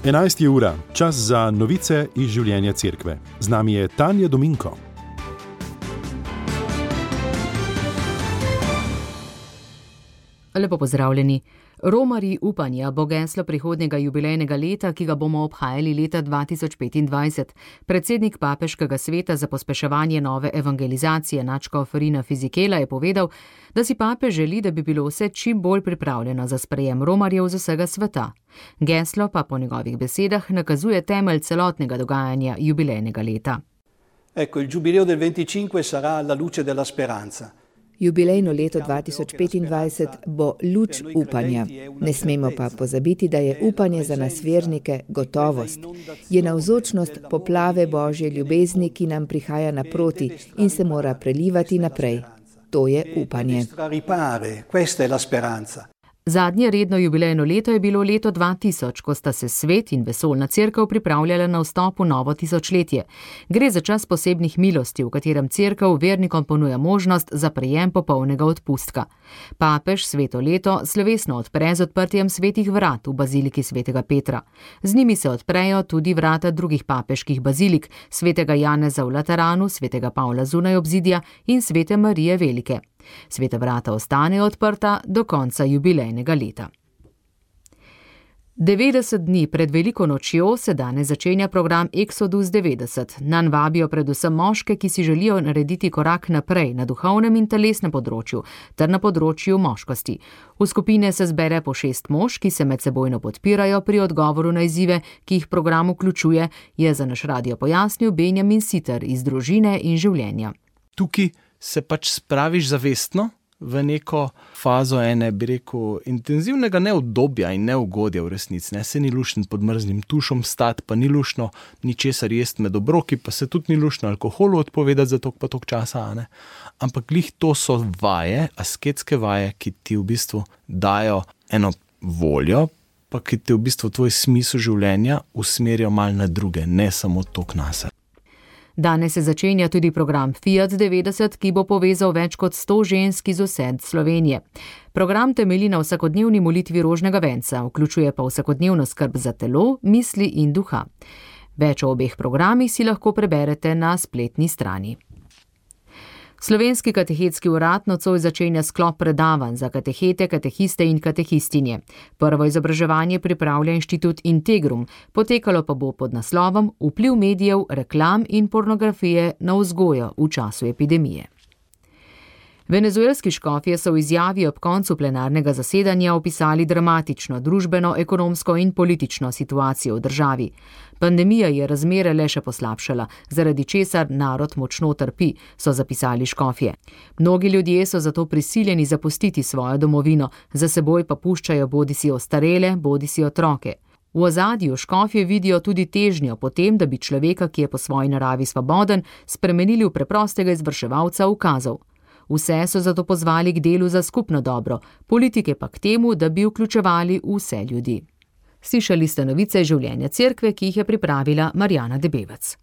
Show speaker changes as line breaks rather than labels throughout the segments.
11 je ura, čas za novice iz življenja cerkve. Z nami je Tanja Dominko.
Lepo pozdravljeni. Romarji upanja bo geslo prihodnjega jubilejnega leta, ki ga bomo obhajali leta 2025. Predsednik Papeškega sveta za pospeševanje nove evangelizacije nadškof Rina Fizikela je povedal, da si papež želi, da bi bilo vse čim bolj pripravljeno za sprejem romarjev z vsega sveta. Geslo pa po njegovih besedah nakazuje temelj celotnega dogajanja jubilejnega leta.
Ecco, il giubileo del 25 sarà la luce della speranza.
Jubilejno leto 2025 bo luč upanja. Ne smemo pa pozabiti, da je upanje za nas vernike gotovost. Je navzočnost poplave Božje ljubezni, ki nam prihaja naproti in se mora prelivati naprej. To je upanje.
Zadnje redno jubilejno leto je bilo leto 2000, ko sta se svet in vesoljna cerkev pripravljala na vstop v novo tisočletje. Gre za čas posebnih milosti, v katerem cerkev vernikom ponuja možnost za prejem popolnega odpustka. Papež sveto leto slovesno odpre z odprtjem svetih vrat v baziliki svetega Petra. Z njimi se odprejo tudi vrata drugih papeških bazilik, svetega Janeza v Lateranu, svetega Pavla zunaj obzidja in svete Marije Velike. Sveta vrata ostanejo odprta do konca jubilejnega leta. 90 dni pred veliko nočjo se danes začenja program Exodus 90. Nanj vabijo predvsem moške, ki si želijo narediti korak naprej na duhovnem in telesnem področju ter na področju moškosti. V skupine se zbere po 6 mož, ki se medsebojno podpirajo pri odgovoru na izzive, ki jih program vključuje, je za naš radio pojasnil Benjamin Siter iz Družine in življenja.
Tukaj se pač spraviš zavestno v neko fazo intenzivnega neudobja in neugodja v resnici. Se ni luštno pod mrzlim tušom stati, pa ni luštno ničesar jesti med obroki, pa se tudi ni luštno alkoholu odpovedati za toliko pa toliko časa. Ampak glih to so vaje, asketske vaje, ki ti v bistvu dajo eno voljo, pa ki ti v bistvu tvoj smisel življenja usmerijo malo na druge, ne samo toliko nase.
Danes se začenja tudi program Fiat 90, ki bo povezal več kot 100 žensk iz vse Slovenije. Program temelji na vsakodnevni molitvi rožnega venca, vključuje pa vsakodnevno skrb za telo, misli in duha. Več o obeh programih si lahko preberete na spletni strani. Slovenski katehetski urad nocoj začenja sklop predavanj za katehete, katehiste in katehistinje. Prvo izobraževanje pripravlja inštitut Integrum, potekalo pa bo pod naslovom Vpliv medijev, reklam in pornografije na vzgojo v času epidemije. Venezuelski škofje so v izjavi ob koncu plenarnega zasedanja opisali dramatično družbeno, ekonomsko in politično situacijo v državi. Pandemija je razmere le še poslabšala, zaradi česar narod močno trpi, so zapisali škofje. Mnogi ljudje so zato prisiljeni zapustiti svojo domovino, za seboj pa puščajo bodisi ostarele, bodisi otroke. V ozadju škofje vidijo tudi težnjo po tem, da bi človeka, ki je po svoji naravi svoboden, spremenili v preprostega izvrševalca ukazov. Vse so zato pozvali k delu za skupno dobro, politike pa k temu, da bi vključevali vse ljudi. Slišali ste novice življenja cerkve, ki jih je pripravila Marjana Debevec.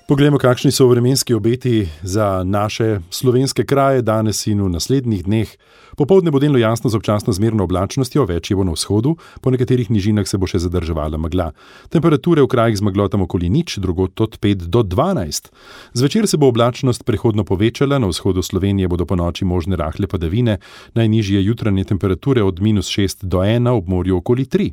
Poglejmo, kakšni so vremenski obeti za naše slovenske kraje danes in v naslednjih dneh. Popoldne bo delno jasno z občasno zmerno oblačnostjo, več je bo na vzhodu, po nekaterih nižinah se bo še zadrževala megla. Temperature v krajih z meglotom okoli 0, drugod od 5 do 12. Zvečer se bo oblačnost prehodno povečala, na vzhodu Slovenije bodo ponoči možne rahle padavine, najnižje jutranje temperature od -6 do 1, ob morju okoli 3.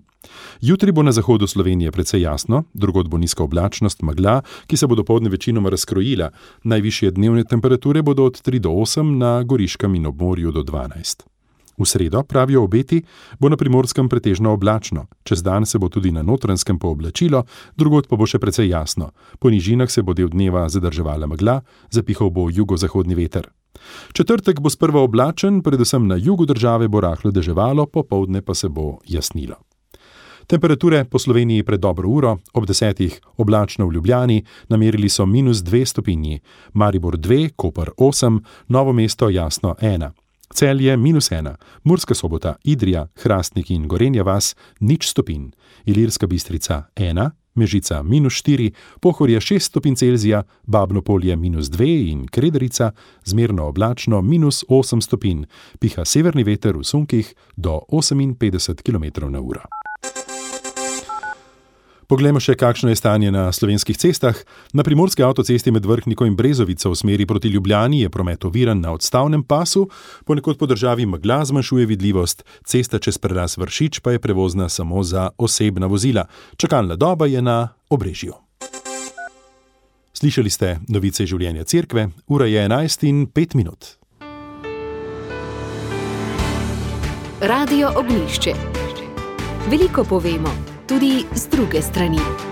Jutri bo na zahodu Slovenije precej jasno, drugod bo nizka oblačnost, megla, ki se bo dopoldne večinoma razkrojila. Najvišje dnevne temperature bodo od 3 do 8, na Goriškem in ob morju do 12. V sredo, pravijo obeti, bo na Primorskem pretežno oblačno. Čez dan se bo tudi na Notranjskem pooblačilo, drugod pa bo še precej jasno. Po nižinah se bo del dneva zadrževala megla, zapihal bo jugozahodni veter. Četrtek bo sprva oblačen, predvsem na jugu države bo rahlo deževalo, popoldne pa se bo jasnilo. Temperature po Sloveniji pred dobro uro, ob 10 oblačno v Ljubljani, namerili so -2 stopinji, Maribor 2, Koper 8, Novo mesto jasno 1. Celje -1, Murska Sobota, Idrija, Hrastnik in Gorenja vas 0 stopinj, Ilirska Bistrica 1, Mežica -4, Pohorje 6 stopinj Celzija, Babno Polje -2 in Krederica zmerno oblačno -8 stopinj, piha severni veter v sunkih do 58 km/h. Poglejmo še, kakšno je stanje na slovenskih cestah. Na primorski avtocesti med Vrhniko in Brezovico v smeri proti Ljubljani je promet oviran na odstavnem pasu, ponekod po državi megla zmanjšuje vidljivost, cesta čez prelaz Vršič pa je prevozna samo za osebna vozila. Čakalna doba je na Obrežju. Slišali ste novice življenja cerkve, ura je 11:05.
Radio Ognjišče. Veliko povemo, tudi z druge strani.